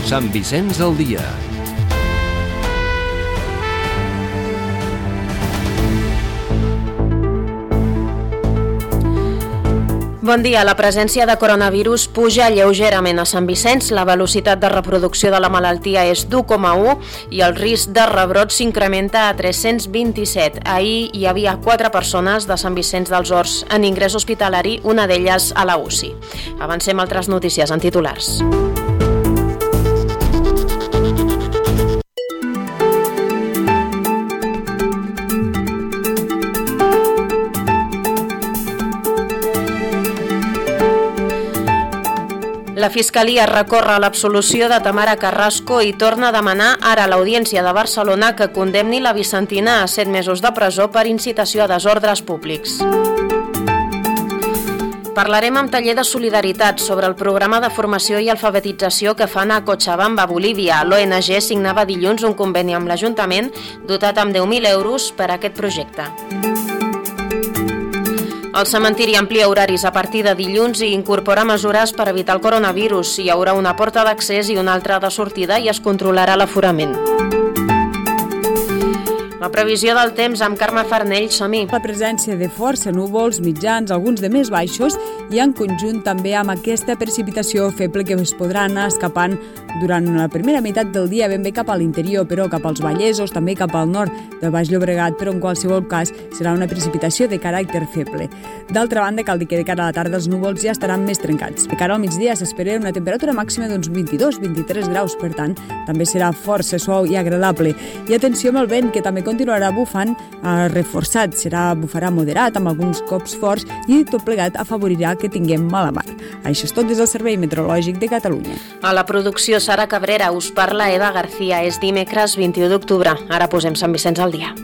Sant Vicenç al dia. Bon dia. La presència de coronavirus puja lleugerament a Sant Vicenç. La velocitat de reproducció de la malaltia és d'1,1 i el risc de rebrot s'incrementa a 327. Ahir hi havia 4 persones de Sant Vicenç dels Horts en ingrés hospitalari, una d'elles a la UCI. Avancem altres notícies en titulars. La Fiscalia recorre l'absolució de Tamara Carrasco i torna a demanar ara a l'Audiència de Barcelona que condemni la vicentina a 7 mesos de presó per incitació a desordres públics. Parlarem amb taller de solidaritat sobre el programa de formació i alfabetització que fan a Cochabamba, Bolívia. L'ONG signava dilluns un conveni amb l'Ajuntament dotat amb 10.000 euros per a aquest projecte. El cementiri amplia horaris a partir de dilluns i incorpora mesures per evitar el coronavirus. Hi haurà una porta d'accés i una altra de sortida i es controlarà l'aforament. La previsió del temps amb Carme Farnell, som-hi. La presència de força núvols mitjans, alguns de més baixos, i en conjunt també amb aquesta precipitació feble que es podrà anar escapant durant la primera meitat del dia ben bé cap a l'interior, però cap als Vallesos, també cap al nord del Baix Llobregat, però en qualsevol cas serà una precipitació de caràcter feble. D'altra banda, cal dir que de cara a la tarda els núvols ja estaran més trencats. De cara al migdia s'espera una temperatura màxima d'uns 22-23 graus, per tant, també serà força suau i agradable. I atenció amb el vent, que també continuarà bufant reforçat, bufarà moderat amb alguns cops forts i tot plegat afavorirà que tinguem mala mar. Això és tot des del Servei Meteorològic de Catalunya. A la producció Sara Cabrera, us parla Eva García. És dimecres 21 d'octubre. Ara posem Sant Vicenç al dia.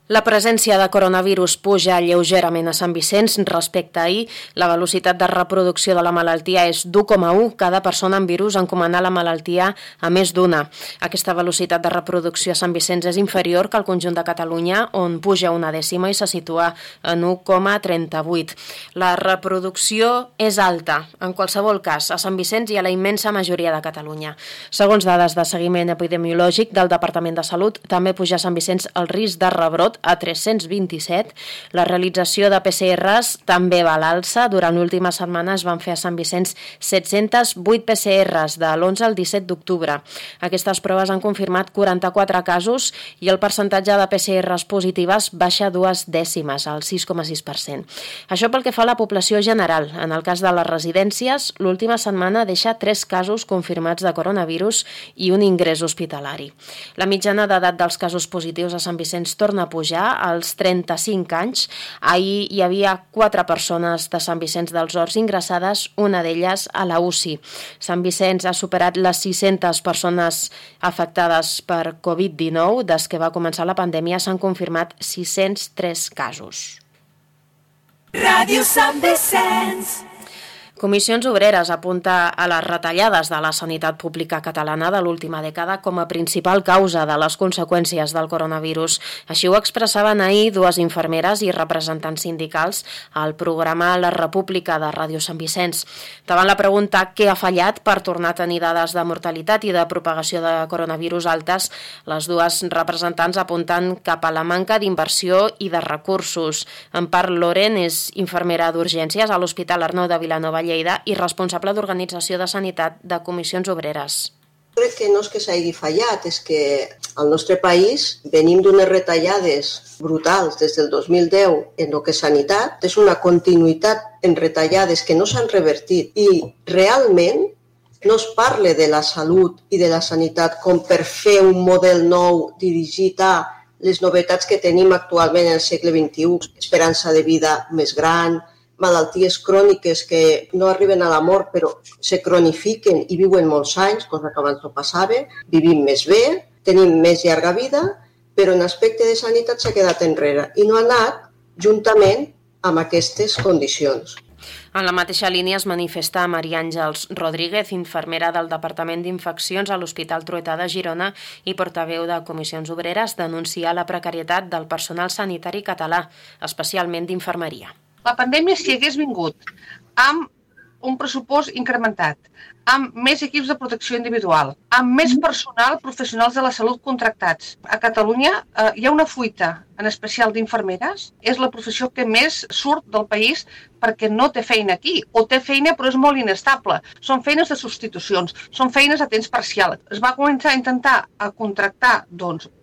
La presència de coronavirus puja lleugerament a Sant Vicenç respecte a ahir. La velocitat de reproducció de la malaltia és d'1,1. Cada persona amb virus encomana la malaltia a més d'una. Aquesta velocitat de reproducció a Sant Vicenç és inferior que al conjunt de Catalunya, on puja una dècima i se situa en 1,38. La reproducció és alta. En qualsevol cas, a Sant Vicenç i a la immensa majoria de Catalunya. Segons dades de seguiment epidemiològic del Departament de Salut, també puja a Sant Vicenç el risc de rebrot a 327. La realització de PCRs també va a l'alça. Durant l'última setmana es van fer a Sant Vicenç 708 PCRs de l'11 al 17 d'octubre. Aquestes proves han confirmat 44 casos i el percentatge de PCRs positives baixa 2 dècimes, al 6,6%. Això pel que fa a la població general. En el cas de les residències, l'última setmana deixa 3 casos confirmats de coronavirus i un ingrés hospitalari. La mitjana d'edat dels casos positius a Sant Vicenç torna a pujar als 35 anys. Ahir hi havia 4 persones de Sant Vicenç dels Horts ingressades, una d'elles a la UCI. Sant Vicenç ha superat les 600 persones afectades per Covid-19. Des que va començar la pandèmia s'han confirmat 603 casos. Ràdio Sant Vicenç. Comissions Obreres apunta a les retallades de la sanitat pública catalana de l'última dècada com a principal causa de les conseqüències del coronavirus. Així ho expressaven ahir 2 infermeres i representants sindicals al programa La República de Ràdio Sant Vicenç. Davant la pregunta què ha fallat per tornar a tenir dades de mortalitat i de propagació de coronavirus altes, les 2 representants apunten cap a la manca d'inversió i de recursos. Empar Loren és infermera d'urgències a l'Hospital Arnau de Vilanova Lleida i responsable d'Organització de Sanitat de Comissions Obreres. Crec que no és que s'hagi fallat, és que al nostre país venim d'unes retallades brutals des del 2010 en el que és sanitat, és una continuïtat en retallades que no s'han revertit i realment no es parla de la salut i de la sanitat com per fer un model nou dirigit a les novetats que tenim actualment en el segle XXI, esperança de vida més gran, malalties cròniques que no arriben a la mort però se cronifiquen i viuen molts anys, cosa que abans no passava, vivim més bé, tenim més llarga vida, però en aspecte de sanitat s'ha quedat enrere i no ha anat juntament amb aquestes condicions. En la mateixa línia es manifesta Maria Àngels Rodríguez, infermera del Departament d'Infeccions a l'Hospital Trueta de Girona i portaveu de Comissions Obreres, denuncia la precarietat del personal sanitari català, especialment d'infermeria. La pandèmia, si hagués vingut amb un pressupost incrementat, amb més equips de protecció individual, amb més personal professionals de la salut contractats. A Catalunya hi ha una fuita, en especial d'infermeres. És la professió que més surt del país perquè no té feina aquí, o té feina però és molt inestable. Són feines de substitucions, són feines a temps parcial. Es va començar a intentar contractar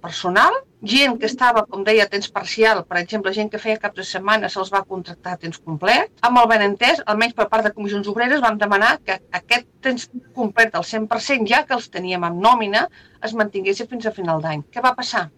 personal, gent que estava, com deia, a temps parcial, per exemple, gent que feia caps de setmana se'ls va contractar a temps complet. Amb el benentès, almenys per part de Comissions Obreres, vam demanar que aquest temps complet al 100%, ja que els teníem amb nòmina, es mantingués fins a final d'any. Què va passar?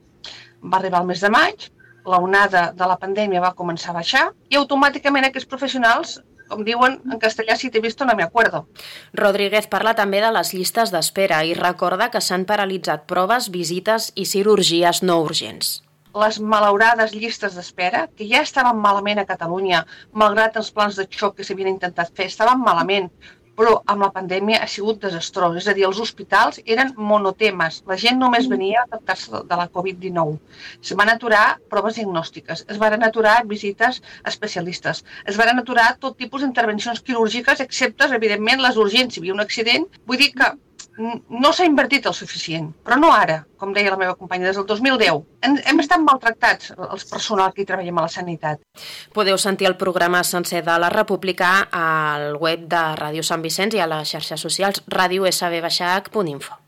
Va arribar el mes de maig, la onada de la pandèmia va començar a baixar i automàticament aquests professionals, com diuen en castellà, si t'he visto no me acuerdo. Rodríguez parla també de les llistes d'espera i recorda que s'han paralitzat proves, visites i cirurgies no urgents. Les malaurades llistes d'espera, que ja estaven malament a Catalunya, malgrat els plans de xoc que s'havien intentat fer, estaven malament, però amb la pandèmia ha sigut desastrós. És a dir, els hospitals eren monotemes. La gent només venia a tractar-se de la Covid-19. Es van aturar proves diagnòstiques, es van aturar visites especialistes, es van aturar tot tipus d'intervencions quirúrgiques, excepte, evidentment, les urgents. Si hi havia un accident, vull dir que no s'ha invertit el suficient, però no ara, com deia la meva companya, des del 2010. Hem estat maltractats, els personal que hi treballem a la sanitat. Podeu sentir el programa sencer de la República al web de Ràdio Sant Vicenç i a les xarxes socials radiosb-h.info.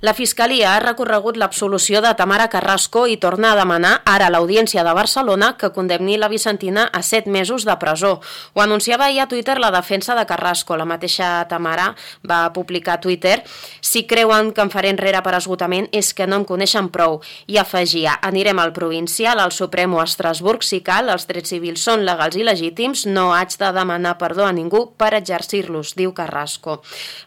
La Fiscalia ha recorregut l'absolució de Tamara Carrasco i torna a demanar ara a l'Audiència de Barcelona que condemni la Vicentina a 7 mesos de presó. Ho anunciava ahir a Twitter la defensa de Carrasco. La mateixa Tamara va publicar a Twitter: si creuen que em faré enrere per esgotament és que no em coneixen prou. I afegia: anirem al provincial, al Suprem o a Estrasburg si cal, els drets civils són legals i legítims, no haig de demanar perdó a ningú per exercir-los, diu Carrasco.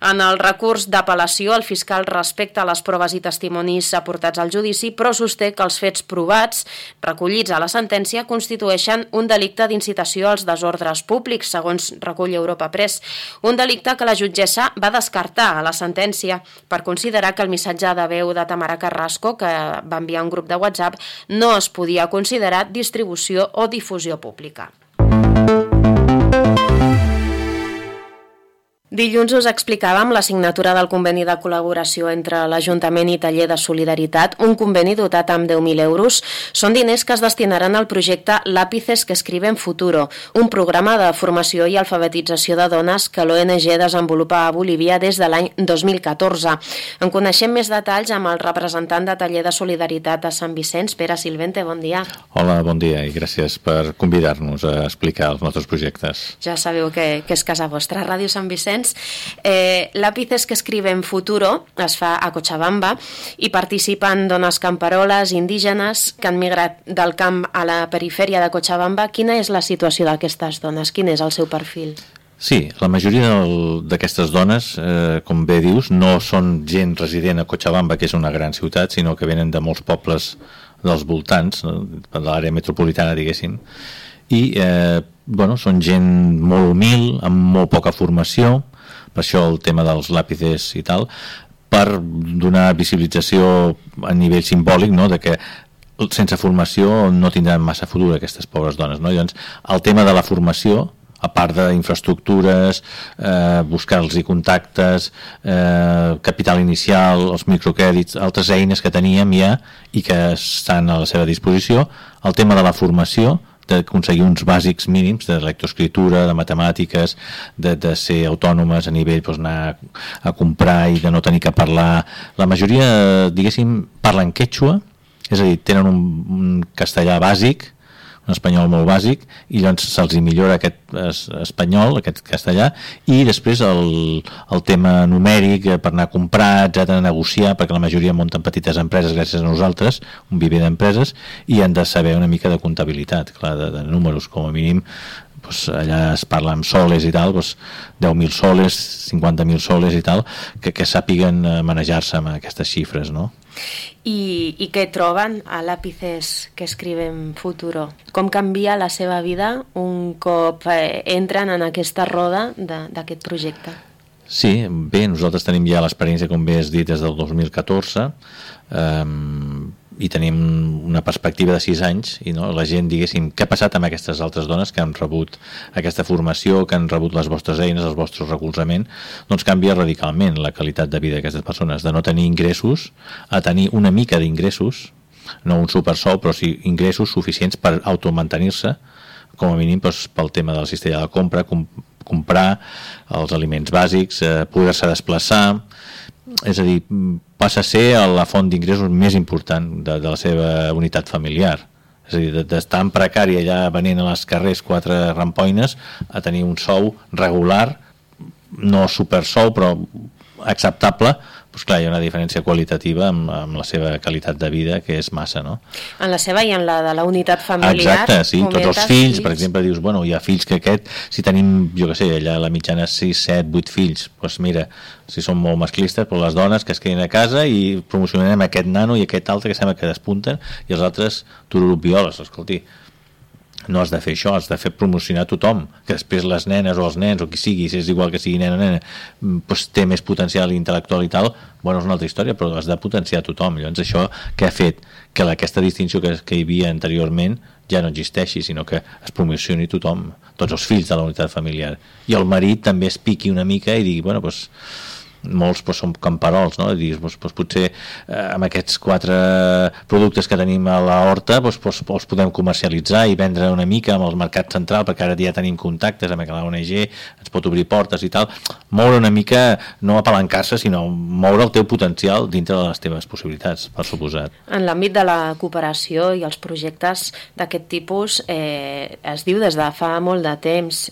En el recurs d'apel·lació, el fiscal respecta les proves i testimonis aportats al judici, però sosté que els fets provats recollits a la sentència constitueixen un delicte d'incitació als desordres públics, segons recull Europa Press. Un delicte que la jutgessa va descartar a la sentència per considerar que el missatge de veu de Tamara Carrasco, que va enviar un grup de WhatsApp, no es podia considerar distribució o difusió pública. Dilluns us explicàvem la signatura del conveni de col·laboració entre l'Ajuntament i Taller de Solidaritat, un conveni dotat amb 10.000 euros. Són diners que es destinaran al projecte Lápices que escriben futuro, un programa de formació i alfabetització de dones que l'ONG desenvolupa a Bolívia des de l'any 2014. En coneixem més detalls amb el representant de Taller de Solidaritat a Sant Vicenç, Pere Silvente. Bon dia. Hola, bon dia i gràcies per convidar-nos a explicar els nostres projectes. Ja sabeu que és casa vostra, Ràdio Sant Vicenç. Lápices que escriben futuro es fa a Cochabamba i participen dones camperoles, indígenes que han migrat del camp a la perifèria de Cochabamba. Quina és la situació d'aquestes dones? Quin és el seu perfil? Sí, la majoria d'aquestes dones, com bé dius, no són gent resident a Cochabamba, que és una gran ciutat, sinó que venen de molts pobles dels voltants, de l'àrea metropolitana, diguéssim, i són gent molt humil, amb molt poca formació, per això el tema dels làpices i tal, per donar visibilització a nivell simbòlic, no?, de que sense formació no tindran massa futur aquestes pobres dones, no? Llavors, el tema de la formació, a part d'infraestructures, buscar-los contactes, capital inicial, els microcrèdits, altres eines que teníem ja i que estan a la seva disposició, el tema de la formació, d'aconseguir uns bàsics mínims de lectoescriptura, de matemàtiques, de ser autònomes a nivell anar a comprar i de no tenir que parlar. La majoria, diguéssim, parlen quechua, és a dir, tenen un castellà bàsic, un espanyol molt bàsic, i llavors se'ls millora aquest espanyol, aquest castellà, i després el tema numèric per anar a comprar, etcètera, a negociar, perquè la majoria munten petites empreses gràcies a nosaltres, un viver d'empreses, i han de saber una mica de comptabilitat, clar, de números, com a mínim. Allà es parla amb soles i tal, 10.000 soles, 50.000 soles i tal, que sàpiguen manejar-se amb aquestes xifres, no? I què troben a Lápices que escriben Futuro? Com canvia la seva vida un cop entren en aquesta roda d'aquest projecte? Sí, bé, nosaltres tenim ja l'experiència, com bé has dit, des del 2014, i tenim una perspectiva de 6 anys, i no, la gent, diguéssim, què ha passat amb aquestes altres dones que han rebut aquesta formació, que han rebut les vostres eines, el vostre recolzament, doncs canvia radicalment la qualitat de vida d'aquestes persones, de no tenir ingressos a tenir una mica d'ingressos, no un supersou, però sí ingressos suficients per automantenir-se, com a mínim doncs, pel tema de la cistella de compra, comprar els aliments bàsics, poder-se desplaçar, és a dir, passa a ser la font d'ingressos més important de la seva unitat familiar. És a dir, d'estar en precari allà venent a les carrers 4 rampoines a tenir un sou regular, no supersou, però acceptable, doncs clar, hi ha una diferència qualitativa amb la seva qualitat de vida, que és massa, no? En la seva i en la de la unitat familiar. Exacte, sí, tots els fills, per exemple, dius, bueno, hi ha fills que si tenim, jo què sé, allà la mitjana 6, 7, 8 fills, doncs mira, si són molt masclistes, però les dones que es quedin a casa i promocionem aquest nano i aquest altre que sembla que despunten i els altres tururupioles, escolti. No has de fer això, has de fer promocionar tothom, que després les nenes o els nens o qui sigui, si és igual que sigui nena o nena, doncs té més potencial intel·lectual i tal, bueno, és una altra història, però has de potenciar tothom. Llavors això què ha fet? Que aquesta distinció que hi havia anteriorment ja no existeixi, sinó que es promocioni tothom, tots els fills de la unitat familiar. I el marit també es piqui una mica i digui, bueno, doncs molts són camperols, no? Dius, potser amb aquests 4 productes que tenim a la horta els podem comercialitzar i vendre una mica amb el mercat central, perquè ara ja tenim contactes amb la ONG, ens pot obrir portes i tal. Moure una mica, no apalancar-se, sinó moure el teu potencial dintre de les teves possibilitats, per suposat. En l'àmbit de la cooperació i els projectes d'aquest tipus es diu des de fa molt de temps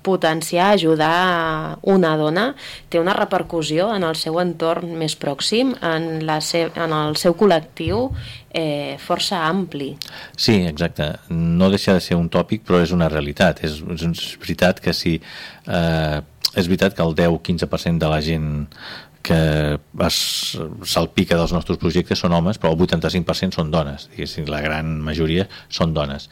potenciar, ajudar una dona té una repercussió en el seu entorn més pròxim, en el seu col·lectiu força ampli. Sí, exacte. No deixa de ser un tòpic, però és una realitat. És veritat que sí, és veritat que el 10-15% de la gent que es salpica dels nostres projectes són homes, però el 85% són dones. Diguéssim, la gran majoria són dones.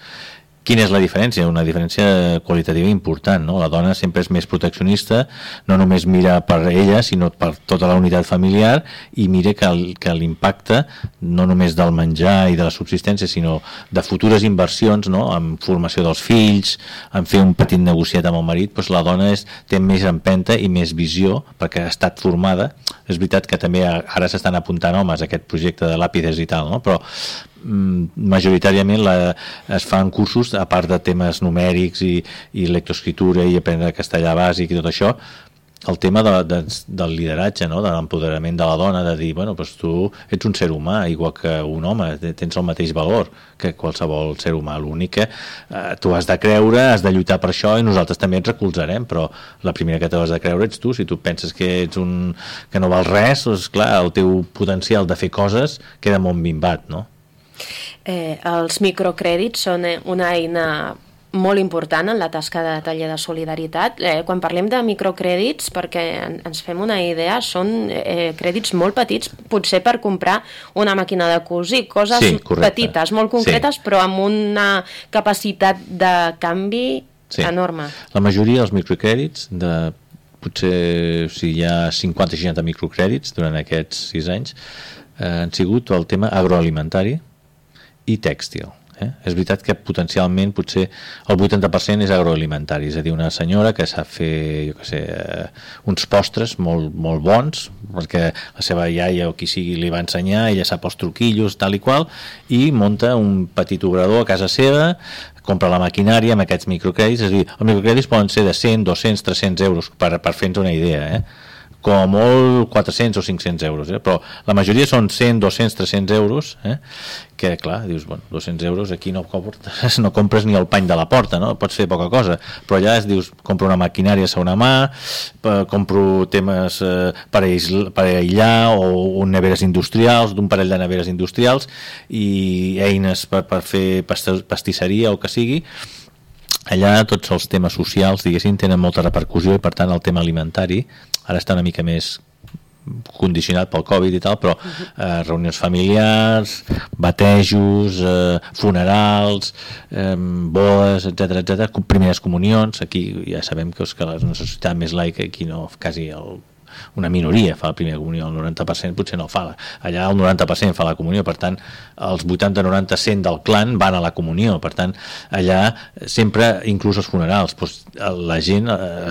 Quina és la diferència? Una diferència qualitativa important, no? La dona sempre és més proteccionista, no només mira per ella, sinó per tota la unitat familiar, i mira que l'impacte no només del menjar i de la subsistència, sinó de futures inversions, no? En formació dels fills, en fer un petit negociat amb el marit, doncs la dona té més empenta i més visió, perquè ha estat formada. És veritat que també ara s'estan apuntant homes a aquest projecte de Lápices i tal, no? Però majoritàriament es fan cursos, a part de temes numèrics i lectoescritura i aprendre castellà bàsic i tot això, el tema del lideratge, no? De l'empoderament de la dona, de dir, bueno, doncs tu ets un ser humà igual que un home, tens el mateix valor que qualsevol ser humà, l'únic que tu has de creure, has de lluitar per això i nosaltres també et recolzarem, però la primera que t'has de creure ets tu. Si tu penses que ets que no val res, doncs clar, el teu potencial de fer coses queda molt minvat, no? Els microcrèdits són una eina molt important en la tasca de taller de solidaritat. Quan parlem de microcrèdits, perquè ens fem una idea, són crèdits molt petits, potser per comprar una màquina de cosir, coses petites, molt concretes, però amb una capacitat de canvi enorme. La majoria dels microcrèdits, potser si hi ha 50-60 microcrèdits durant aquests 6 anys, han sigut el tema agroalimentari i tèxtil. És veritat que potencialment potser el 80% és agroalimentari, és a dir, una senyora que sap fer, jo què sé, uns postres molt, molt bons, perquè la seva iaia o qui sigui li va ensenyar, ella sap els truquillos, tal i qual, i munta un petit obrador a casa seva, compra la maquinària amb aquests microcrèdits, és a dir, els microcrèdits poden ser de 100, 200, 300 euros, per fer-nos una idea, com a molt 400 o 500 euros, però la majoria són 100, 200, 300 euros, que clar, dius, bueno, 200 euros aquí no compres ni el pany de la porta, no? Pots fer poca cosa, però allà dius, compro una maquinària a segona mà, compro temes per aïllar o neveres industrials, d'un parell de neveres industrials i eines per fer pastisseria o que sigui. Allà tots els temes socials, diguéssim, tenen molta repercussió i per tant el tema alimentari ara està una mica més condicionat pel Covid i tal, però reunions familiars, batejos, funerals, bodes, etc, primeres comunions. Aquí ja sabem que la societat més laica, aquí no, quasi una minoria fa la primera comunió, el 90% potser no fa, allà el 90% fa la comunió, per tant els 80-90% del clan van a la comunió, per tant allà sempre, inclús els funerals, doncs, la gent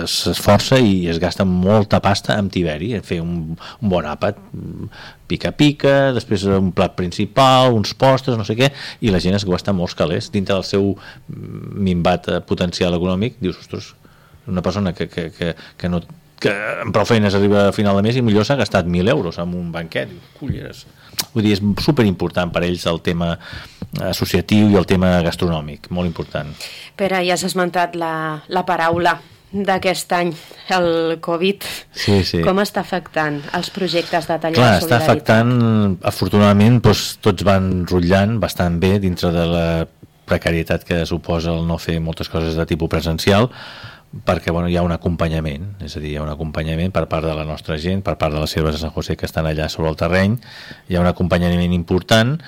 s'esforça i es gasta molta pasta amb tiberi, a fer un bon àpat, pica-pica, després un plat principal, uns postres, no sé què, i la gent es gasta molts calés dintre del seu minvat potencial econòmic. Dius, ostres, una persona que no, que amb prou feines arriba a final de mes i millor s'ha gastat 1.000 euros en un banquet. Culleres. Vull dir, és superimportant per ells el tema associatiu i el tema gastronòmic, molt important. Pere, ja has esmentat la paraula d'aquest any, el Covid. Sí. Com està afectant els projectes de taller de solidaritat? Està afectant, afortunadament, doncs, tots van rotllant bastant bé dintre de la precarietat que suposa el no fer moltes coses de tipus presencial, perquè hi ha un acompanyament, és a dir, hi ha un acompanyament per part de la nostra gent, per part de les Serves de Sant José que estan allà sobre el terreny, hi ha un acompanyament important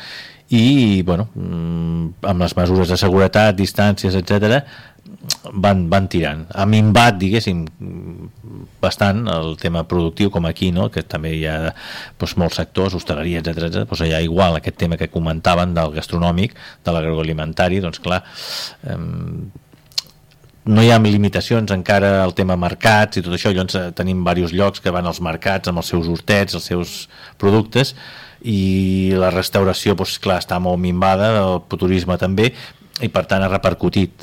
i, amb les mesures de seguretat, distàncies, etc, van tirant. Ha minvat, diguéssim, bastant el tema productiu, com aquí, no? Que també hi ha molts sectors, hostaleria, etc. Allà igual, aquest tema que comentaven del gastronòmic, de l'agroalimentari, doncs clar, no hi ha limitacions encara al tema mercats i tot això. Llavors tenim diversos llocs que van als mercats amb els seus hortets, els seus productes, i la restauració, clar, està molt minvada, el turisme també, i per tant ha repercutit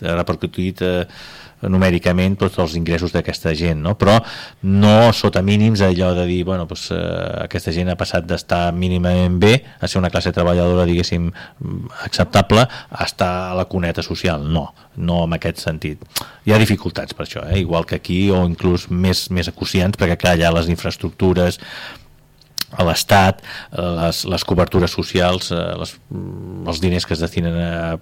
numèricament tots els ingressos d'aquesta gent, no? Però no sota mínims, allò de dir, aquesta gent ha passat d'estar mínimament bé a ser una classe treballadora, diguéssim, acceptable, a estar a la cuneta social. No en aquest sentit. Hi ha dificultats per això, igual que aquí, o inclús més acuciants, perquè clar, allà les infraestructures, a l'Estat, les cobertures socials, els diners que es destinen a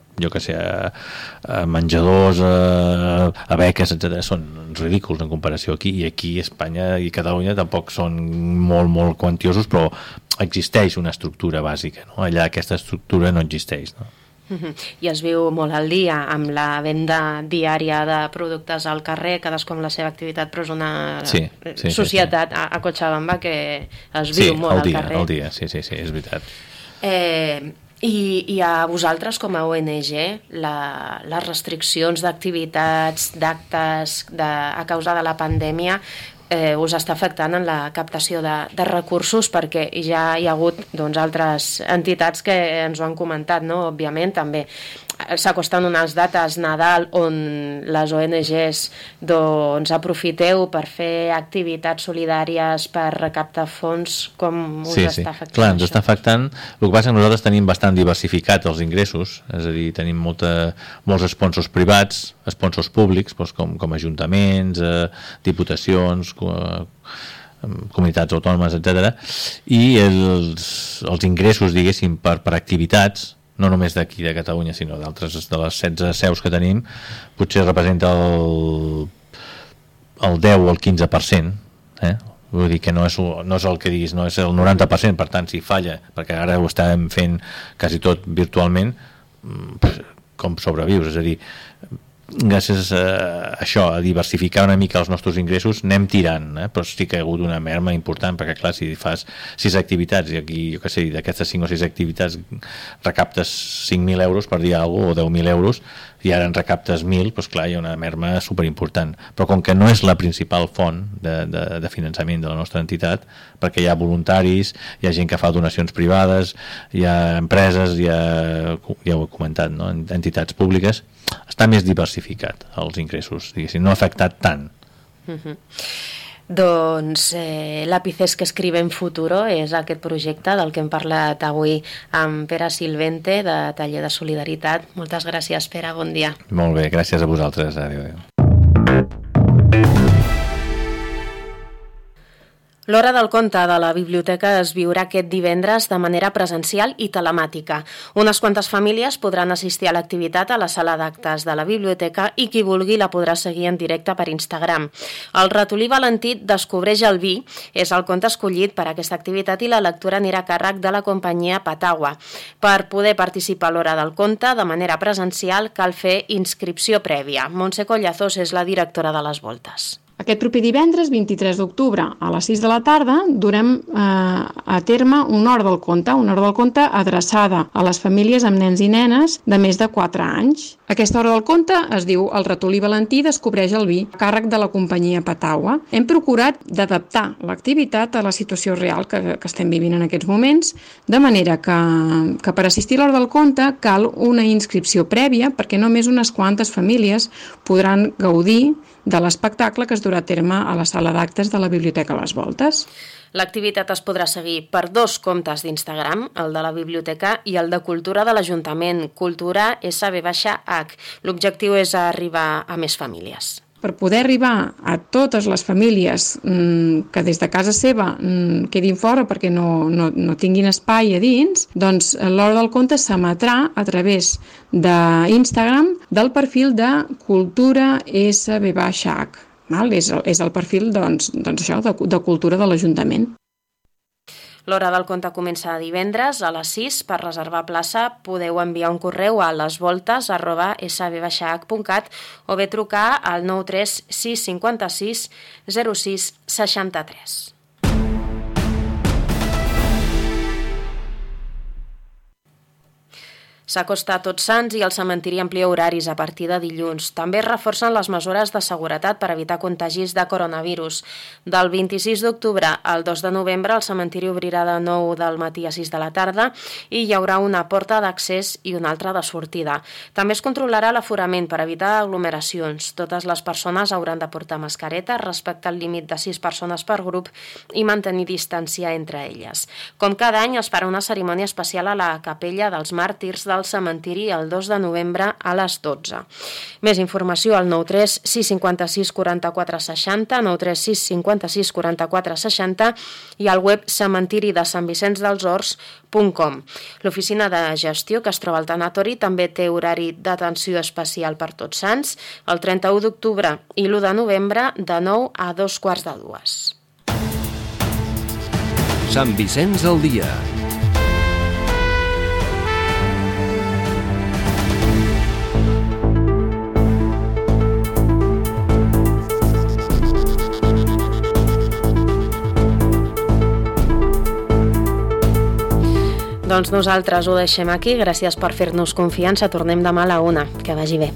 menjadors, a beques, etc., són ridículs en comparació aquí, i aquí Espanya i Catalunya tampoc són molt quantiosos, però existeix una estructura bàsica, no? Allà aquesta estructura no existeix, no? I es viu molt al dia amb la venda diària de productes al carrer, cadascú amb la seva activitat, però és una societat a Cochabamba que es viu molt al carrer. Al dia, sí, és veritat. I a vosaltres com a ONG les restriccions d'activitats, d'actes a causa de la pandèmia us està afectant en la captació de recursos, perquè ja hi ha hagut altres entitats que ens ho han comentat, no? Òbviament també s'acosten unes dates Nadal on les ONGs aprofiteu per fer activitats solidàries per recaptar fons. Com us està afectant? Clar, ens està afectant. El que passa és que nosaltres tenim bastant diversificat els ingressos, és a dir, tenim molts sponsors privats, sponsors públics, com ajuntaments, diputacions, comunitats autònomes, etc. I els ingressos, diguéssim, per activitats, no només d'aquí de Catalunya, sinó d'altres, de les 16 seus que tenim, potser representa el 10 o el 15%, vull dir que no és el que diguis, no és el 90%, per tant, si falla, perquè ara ho estàvem fent quasi tot virtualment, com sobrevius, és a dir, gràcies a això, a diversificar una mica els nostres ingressos, anem tirant, però sí que ha hagut una merma important, perquè clar, si fas 6 activitats i aquí, jo què sé, d'aquestes 5 o 6 activitats recaptes 5.000 euros, per dir alguna cosa, o 10.000 euros, i ara en recaptes 1.000, doncs clar, hi ha una merma superimportant. Però com que no és la principal font de finançament de la nostra entitat, perquè hi ha voluntaris, hi ha gent que fa donacions privades, hi ha empreses, ja ho he comentat, no? Entitats públiques, està més diversificat els ingressos, diguéssim, no ha afectat tant. Doncs l'Àpices que escrivem futuro és aquest projecte del que hem parlat avui amb Pere Silvente de Taller de Solidaritat. Moltes gràcies, Pere, bon dia. Molt bé, gràcies a vosaltres. Adéu. L'Hora del Conte de la biblioteca es viurà aquest divendres de manera presencial i telemàtica. Unes quantes famílies podran assistir a l'activitat a la sala d'actes de la biblioteca i qui vulgui la podrà seguir en directe per Instagram. El ratolí Valentí descobreix el vi és el conte escollit per a aquesta activitat i la lectura anirà a càrrec de la companyia Patagua. Per poder participar a l'Hora del Conte de manera presencial cal fer inscripció prèvia. Montse Collazos és la directora de les Voltes. Aquest proper divendres, 23 d'octubre, a les 6 de la tarda, durem a terme una hora del conte adreçada a les famílies amb nens i nenes de més de 4 anys. Aquesta hora del conte es diu El ratolí Valentí descobreix el vi, a càrrec de la companyia Patagua. Hem procurat d'adaptar l'activitat a la situació real que estem vivint en aquests moments, de manera que per assistir a l'hora del conte cal una inscripció prèvia perquè només unes quantes famílies podran gaudir de l'espectacle que es durà a terme a la sala d'actes de la Biblioteca Les Voltes. L'activitat es podrà seguir per 2 comptes d'Instagram, el de la Biblioteca i el de Cultura de l'Ajuntament, Cultura SB-H. L'objectiu és arribar a més famílies. Per poder arribar a totes les famílies que des de casa seva quedin fora perquè no tinguin espai a dins, doncs l'Hora del Conte s'emetrà a través d'Instagram del perfil de Cultura SB-H. És el perfil de Cultura de l'Ajuntament. L'Hora del Conte comença divendres a les 6. Per reservar plaça podeu enviar un correu a lesvoltes@sb-h.cat o bé trucar al 93 656 06 63. S'acosta Tots Sants i el cementiri amplia horaris a partir de dilluns. També es reforcen les mesures de seguretat per evitar contagis de coronavirus. Del 26 d'octubre al 2 de novembre el cementiri obrirà de 9 del matí a 6 de la tarda i hi haurà una porta d'accés i una altra de sortida. També es controlarà l'aforament per evitar aglomeracions. Totes les persones hauran de portar mascareta, respectar el límit de 6 persones per grup i mantenir distància entre elles. Com cada any es farà una cerimònia especial a la capella dels màrtirs del cementiri el 2 de novembre a les 12. Més informació al 93 656 44 60, 93 656 44 60 i al web cementiridesantvicensdelshorts.com. L'oficina de gestió que es troba al tanatori també té horari d'atenció especial per Tots Sants el 31 d'octubre i l'1 de novembre de 9 a 2:45. Sant Vicenç al dia. Doncs nosaltres ho deixem aquí. Gràcies per fer-nos confiança. Tornem demà a la 1. Que vagi bé.